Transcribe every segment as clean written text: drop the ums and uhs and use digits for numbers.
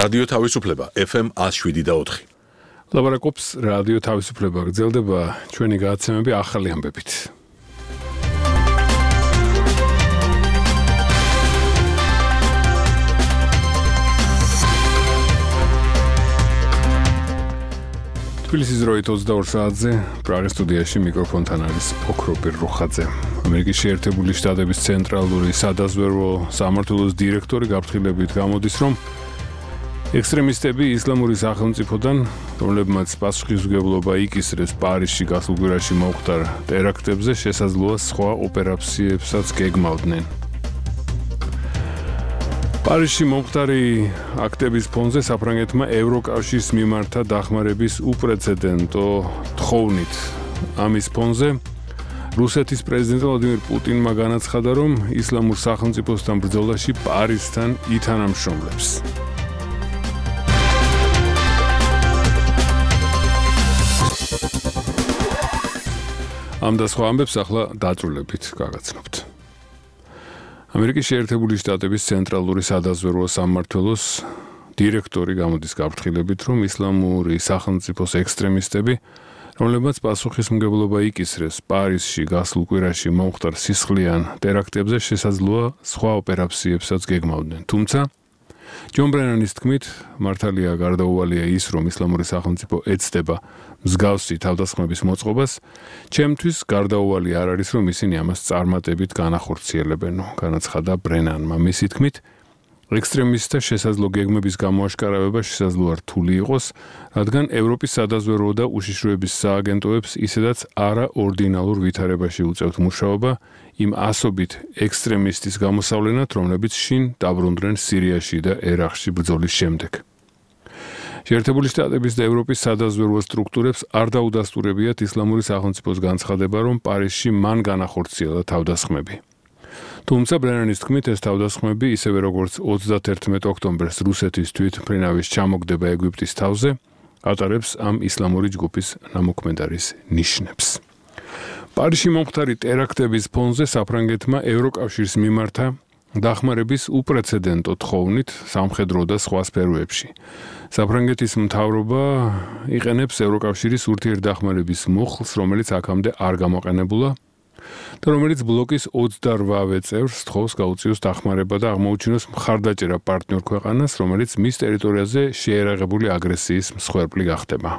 რადიო თავისუფლება FM 107.4. ლაპარაკობს რადიო თავისუფლება, გრძელდება ჩვენი გადაცემები ახალი ამბებით. თბილისის დროით 22 საათზე პრაღის სტუდიაში მიკროფონთან არის ოქროპირ რუხაძე. ამერიკის შეერთებული შტატების ცენტრალური სადაზვერვო სამმართველოს დირექტორი გაფრთხილებით გამოდის, რომ ექსტრემისტები ისლამური სახელმწიფოდან, რომლებმაც პასუხისმგებლობა იკისრეს პარიზში გასულ კვირაში მომხდარ ტერაქტებზე, შესაძლოა სხვა ოპერაციებსაც გეგმავდნენ. პარიზში მომხდარი აქტების ფონზე საფრანგეთმა ევროკავშირის მიმართა დახმარების უპრეცედენტო თხოვნით. ამის ფონზე რუსეთის პრეზიდენტ ვლადიმირ პუტინმა განაცხადა, რომ ისლამურ სახელმწიფოსთან ბრძოლაში პარიზთან ითანამშრომლებს. ამ და სხვა ამბებს ახლა დაწვრილებით გაგაცნობთ. ამერიკის შეერთებული შტატების ცენტრალური სადაზვერვო სამმართველოს დირექტორი გამოდის გაფრთხილებით, რომ ისლამური სახელმწიფოს ექსტრემისტები, რომლებმაც პასუხისმგებლობა იკისრეს პარიზში გასულ კვირაში მომხდარ სისხლიან ტერაქტებზე, შესაძლოა სხვა ოპერაციებსაც გეგმავდნენ. თუმცა ჯონ ბრენანის თქმით, მართალია გარდაუვალია ის, რომ ისლამური სახელმწიფო ეცდება მსგავსი თავდასხმების მოწყობას, ჩემთვის გარდაუვალი არ არის, რომ ისინი ამას წარმატებით განახორციელებენო, განაცხადა ბრენანმა. მისი თქმით, ექსტრემისტთა შესაძლო გეგმების გამოაშკარავება შესაძლოა რთული იყოს, რადგან ევროპის სადაზვერვო და უშიშროების სააგენტოებს ისედაც არაორდინალურ ვითარებაში უწევთ მუშაობა იმ ასობით ექსტრემისტის გამოსავლენად, რომლებიც შინ დაბრუნდნენ სირიაში და ერაყში ბრძოლის შემდეგ. შეერთებული შტატების და ევროპის სადაზვერვო სტრუქტურებს არ დაუდასტურებიათ ისლამური სახელმწიფოს განცხადება, რომ პარიზში მან განახორციელა თავდასხმები. თუმცა ბრენანის თქმით, ეს თავდასხმები, ისევე როგორც 31 ოქტომბერს რუსეთის თვითმფრინავის ჩამოგდება ეგვიპტის თავზე, ატარებს ამ ისლამური ჯგუფის ნამოქმედარის ნიშნებს. პარიზში მომხდარი ტერაქტების ფონზე საფრანგეთმა ევროკავშირის მიმართა დახმარების უპრეცედენტო თხოვნით სამხედრო და სხვა სფეროებში. საფრანგეთის მთავრობა იყენებს ევროკავშირის ურთიერთდახმარების მუხლს, რომელიც აქამდე არ გამოყენებულა და რომელიც ბლოკის 28 წევრს თხოვს გაუწიოს დახმარება და აღმოუჩინოს მხარდაჭერა პარტნიორ ქვეყანას, რომელიც მის ტერიტორიაზე შეერაღებული აგრესიის მსხვერპლი გახდება.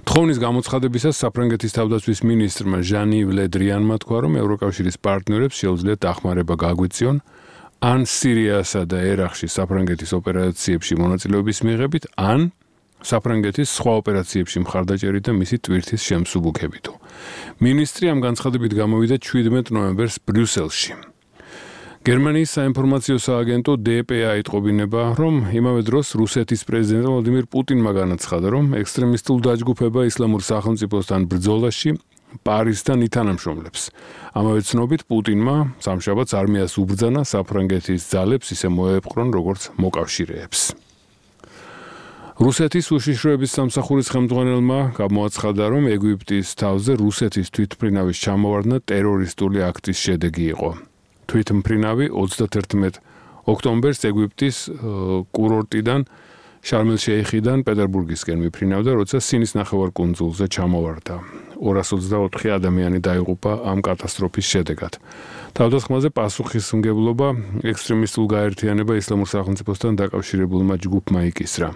თხოვნის გამოცხადებისას საფრანგეთის თავდაცვის მინისტრმა ჟან-იվ ლე დრიანმა თქვა, რომ ევროკავშირის პარტნიორებს შეუძლიათ დახმარება გაგვიწიონ ან სირიასა და ერაყში საფრანგეთის ოპერაციებში მონაწილეობის მიღებით, ან საფრანგეთის სხვა ოპერაციებში მხარდაჭერით და მისი ტვირთის შემსუბუქებითო. მინისტრი ამ განცხადებით გამოვიდა 17 ნოემბერს ბრიუსელში. გერმანიის საინფორმაციო სააგენტო DPA იტყობინება, რომ იმავე დროს რუსეთის პრეზიდენტ ვლადიმირ პუტინმა განაცხადა, რომ ექსტრემისტულ დაჯგუფება ისლამურ სახელმწიფოსთან ბრძოლაში პარიზთან ითანამშრომლებს. ამავე ცნობით პუტინმა სამშაბათს არმიას უბრძანა საფრანგეთის ძალებს ისე მოეპყრონ, როგორც მოკავშირეებს. რუსეთის უშიშროების სამსახურის ხელმძღვანელმა გამოაცხადა, რომ ეგვიპტის თავზე რუსეთის თვითმფრინავის ჩამოვარდნა ტერორისტული აქტის შედეგი იყო. თვითმფრინავი 31 ოქტომბერს ეგვიპტის კურორტიდან შარმელ-შეიხიდან პეტერბურგისკენ მიფრინავდა, როცა სინის ნახევარკუნძულზე ჩამოვარდა. 224 ადამიანი დაიღუპა ამ კატასტროფის შედეგად. თავდასხმაზე პასუხისმგებლობა ექსტრემისტულ გაერთიანება ისლამურ სახელმწიფოსთან დაკავშირებულმა ჯგუფმა იკისრა.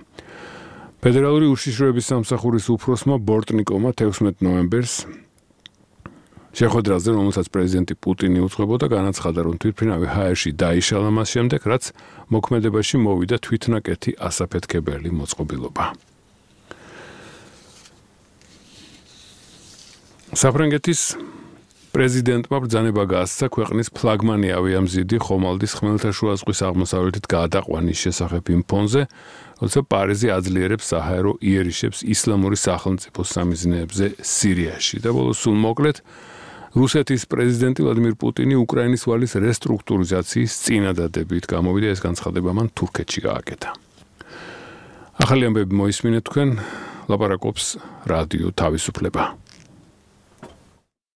ფედერალური უშიშროების სამსახურის უფროსმა ბორტნიკოვმა 16 ნოემბერს შეხვედრაზე, რომელსაც პრეზიდენტი პუტინი უძღვებოდა, განაცხადა, რომ თვითმფრინავი ჰაერში დაიშალა მას შემდეგ, რაც მოქმედებაში მოვიდა თვითნაკეთი ასაფეთქებელი მოწყობილობა. საფრანგეთის პრეზიდენტმა ბრძანება გაასცა ქვეყნის ფლაგმანი ავიამზიდი ხომალდის ხმელთაშუა ზღვის აღმოსავლეთით გადაყვანის შესახებ იმ ფონზე, როცა პარიზი აძლიერებს საჰაერო იერიშებს ისლამური სახელმწიფოს სამიზნეებზე სირიაში. და ბოლოს სულ მოკლედ, რუსეთის პრეზიდენტი ვლადიმირ პუტინი უკრაინის ვალის რესტრუქტურიზაციის წინადადებით გამოვიდა, ეს განცხადება მან თურქეთში გააკეთა. ახალი ამბები მოისმინეთ თქვენ, ლაპარაკობს რადიო თავისუფლება.